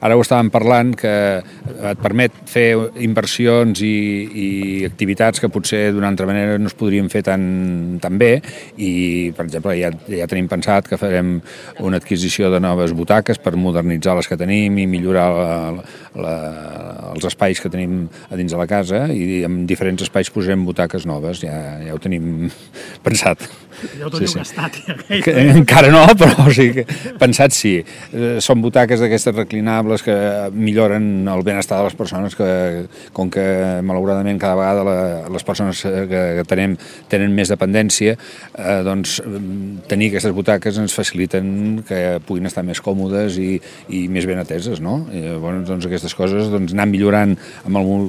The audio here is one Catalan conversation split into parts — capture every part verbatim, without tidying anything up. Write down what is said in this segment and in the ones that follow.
ara ho estàvem parlant, que et permet fer inversions i, i activitats que potser d'una altra manera no es podrien fer tan, tan bé, i, per exemple, ja, ja tenim pensat que farem una adquisició de noves butaques per modernitzar les que tenim i millorar la, la, els espais que tenim a dins de la casa, i en diferents espais posarem butaques noves, ja, ja ho tenim pensat. Ja ho teniu sí, sí. gastat. Ja, que, encara no, però o sigui, pensat sí. Són butaques d'aquestes reclinables que milloren el benestar de les persones, que com que malauradament cada vegada la, les persones que, que tenem tenen més dependència, eh, doncs tenir aquestes butaques ens faciliten que puguin estar més còmodes i, i més ben ateses, no? I, bueno, doncs aquestes coses, doncs, anar millorant, amb el,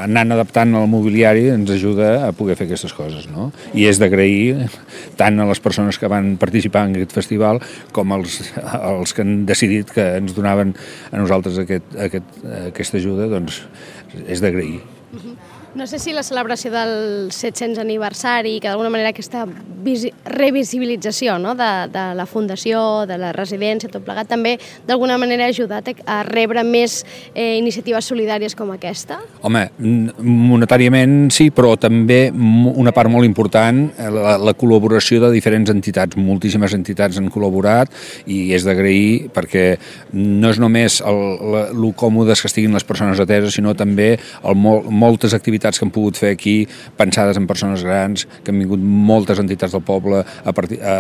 anant adaptant el mobiliari ens ajuda a poder fer aquestes coses, no? I és d'agrair tant a les persones que van participar en aquest festival com als, als que han decidit que ens donaven a nosaltres aquest, aquest, aquesta ajuda, doncs és d'agrair. Uh-huh. No sé si la celebració del set-cents aniversari, que d'alguna manera aquesta revisibilització, no? de, de la fundació, de la residència, tot plegat, també d'alguna manera ha ajudat a rebre més eh, iniciatives solidàries com aquesta? Home, monetàriament sí, però també una part molt important, la, la col·laboració de diferents entitats. Moltíssimes entitats han col·laborat i és d'agrair, perquè no és només el, la, el còmodes que estiguin les persones ateses, sinó també el, mol, moltes activitats que han pogut fer aquí, pensades en persones grans, que han vingut moltes entitats del poble a, partir, a,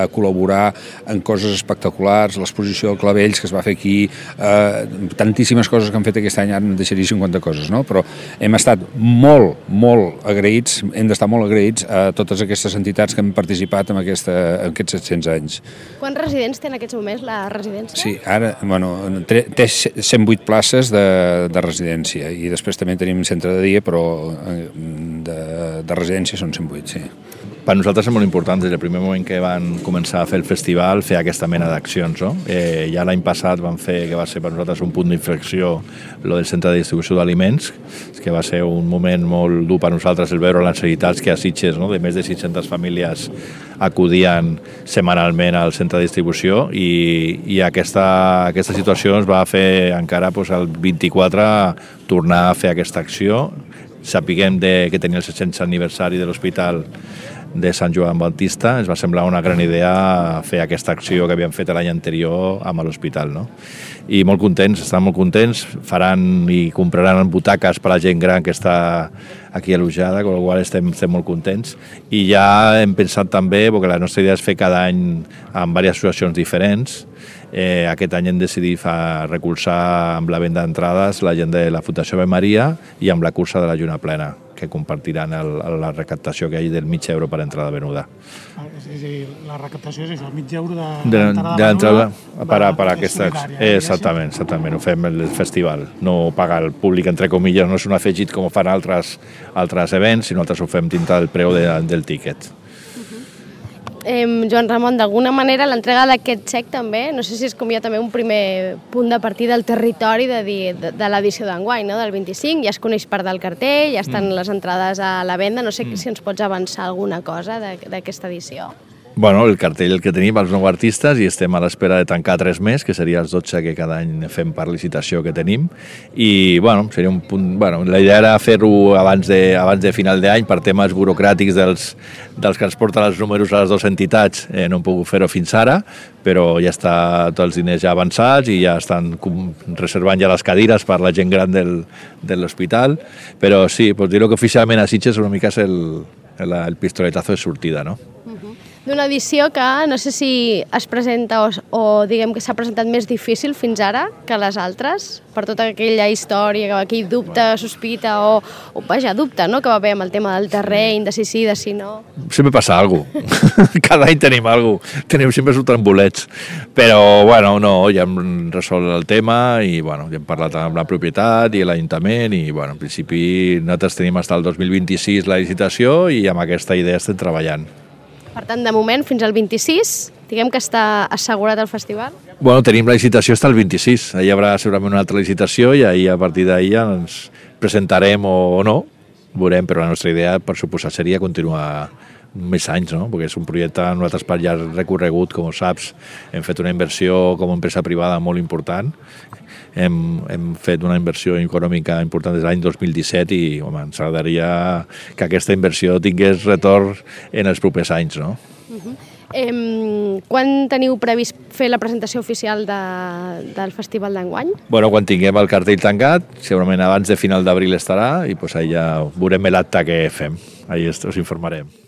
a col·laborar en coses espectaculars, l'exposició de clavells que es va fer aquí, eh, tantíssimes coses que han fet aquest any, ara en deixaria cinquanta coses, no? Però hem estat molt, molt agraïts, hem d'estar molt agraïts a totes aquestes entitats que han participat en, aquesta, en aquests set-cents anys. Quants residents té en aquests moments la residència? Sí, ara, bueno, té cent vuit places de, de residència, i després també tenim centre de dia, però de, de residència són cent vuit, sí. Per nosaltres és molt important, des del primer moment que van començar a fer el festival, fer aquesta mena d'accions, no? Eh, ja l'any passat vam fer, que va ser per nosaltres un punt d'inflexió, lo del centre de distribució d'aliments, que va ser un moment molt dur per nosaltres el veure les necessitats que a Sitges, no? De més de sis-centes famílies acudien setmanalment al centre de distribució, i, i aquesta, aquesta situació ens va fer encara pues, el vint-i-quatre tornar a fer aquesta acció. Sapiguem de, que tenia el set-cents aniversari de l'Hospital de Sant Joan Baptista, ens va semblar una gran idea fer aquesta acció que havíem fet l'any anterior amb l'hospital, no? I molt contents, estan molt contents, faran i compraran butaques per a la gent gran que està aquí allotjada, amb la qual estem, estem molt contents. I ja hem pensat també, perquè la nostra idea és fer cada any amb diverses associacions diferents. Eh, aquest any hem decidit fa, recolzar amb la venda d'entrades la gent de la Fundació Ave Maria i amb la cursa de la Lluna Plena, que compartiran el, la recaptació que hi ha del mig euro per entrada venuda. És a dir, la recaptació és això, el mig euro de l'entrada per a, per a aquesta... Exactament, exactament, ho fem el festival. No paga el públic, entre comilles, no és un afegit com fan altres, altres events, sinó nosaltres ho fem dintre del preu de, del tíquet. Eh, Joan Ramon, d'alguna manera l'entrega d'aquest xec també, no sé si és com ja també un primer punt de partida del territori de, de, de l'edició d'enguany, no? Del vint-i-cinc, ja es coneix part del cartell, ja estan mm. les entrades a la venda, no sé mm. si ens pots avançar alguna cosa d'aquesta edició. Bueno, el cartell el que tenim, els nou artistes, i estem a l'espera de tancar tres més, que seria els dotze que cada any fem per licitació que tenim, i bueno, seria un punt... Bueno, la idea era fer-ho abans de, abans de final d'any per temes burocràtics dels, dels que ens porten els números a les dues entitats, eh, no hem pogut fer-ho fins ara, però ja està tots els diners ja avançats i ja estan reservant ja les cadires per la gent gran del, de l'hospital, però sí, pots dir-ho que oficialment a Sitges una mica és el, el, el pistoletazo de sortida, no? D'una edició que no sé si es presenta o, o diguem que s'ha presentat més difícil fins ara que les altres, per tota aquella història, aquell dubte, sospita o, o vaja, dubte, no?, que va haver amb el tema del terreny, de si sí, de si no. Sempre passa alguna cosa. Cada any tenim alguna cosa. Tenim sempre surten bolets. Però, bueno, no, ja hem resolt el tema i, bueno, ja hem parlat amb la propietat i l'Ajuntament i, bueno, en principi nosaltres tenim fins al dos mil vint-i-sis la licitació i amb aquesta idea estem treballant. Per tant, de moment, fins al vint-i-sis, diguem que està assegurat el festival? Bueno, tenim la licitació fins al vint-i-sis. Ahir hi haurà segurament una altra licitació i ahir, a partir d'ahir ja ens presentarem o no, veurem, però la nostra idea, per suposar, seria continuar més anys, no? Perquè és un projecte nosaltres per llarg recorregut, com ho saps, hem fet una inversió com a empresa privada molt important, hem, hem fet una inversió econòmica important des de l'any dos mil disset i home, ens agradaria que aquesta inversió tingués retorn en els propers anys, no? Uh-huh. Eh, quan teniu previst fer la presentació oficial de, del festival d'enguany? Bueno, quan tinguem el cartell tancat, segurament abans de final d'abril estarà i pues, ahí ja veurem l'acte que fem. Ahí us informarem.